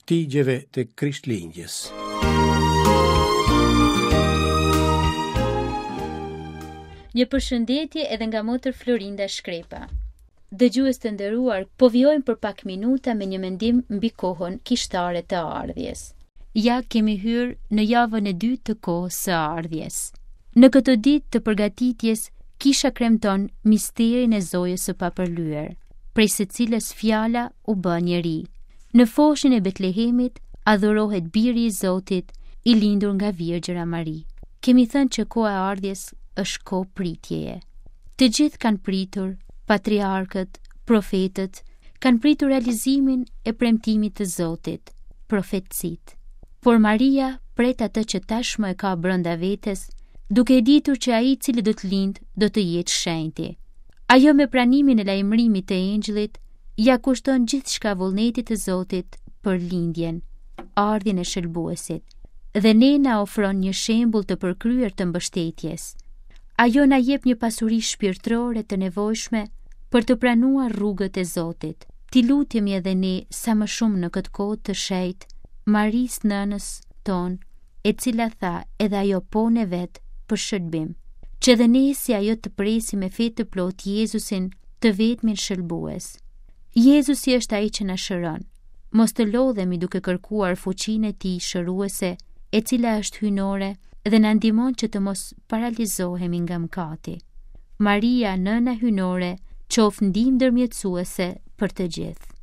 shtigjeve të Krishtlindjes. Një përshëndetje edhe nga motër Florinda Shkrepa. Dëgjues të nderuar, po vijojmë për pak minuta me një mendim mbi kohën kishtare të ardhjes. Ja kemi hyrë në javën e dytë të kohës së ardhjes. Në këto ditë të përgatitjes, kisha kremton misterin e Zojës së Papërlyer, prej së cilës fjala u bë njeri. Në foshnjën e Betlehemit adhurohet biri i Zotit, i lindur nga Virgjëra Mari. Kemi thënë që koha e ardhjes është kohë pritjeje. Të gjithë kanë pritur, patriarkët, profetët, kanë pritur realizimin e premtimit të Zotit, profecitë. Por Maria pret atë që tashmë e ka brenda vetes, duke e ditur që ai i cili do të lindë do të jetë shenjti. Ajo me pranimin e lajmërimit të engjëllit ia kushton gjithçka vullnetit të Zotit për lindjen, ardhjen e shëlbuesit dhe ne na ofron një shembull të përkryer të mbështetjes. Ajo na jep një pasuri shpirtërore të nevojshme për të pranuar rrugët e Zotit. T'i lutemi edhe ne sa më shumë në këtë kohë të shenjtë, Marisë nënës tonë, e cila tha edhe ajo po-në e vet për shëlbim, që edhe ne si ajo të presim me fe të plotë Jezusin, të vetmin shëlbues. Jezusi është ai që na shëron. Mos të lodhemi duke kërkuar fuqinë e tij shëruese, e cila është hyjnore dhe na ndihmon që të mos paralizohemi nga mëkati. Maria, nëna hyjnore, qoftë ndihmë ndërmjetësuese për të gjithë.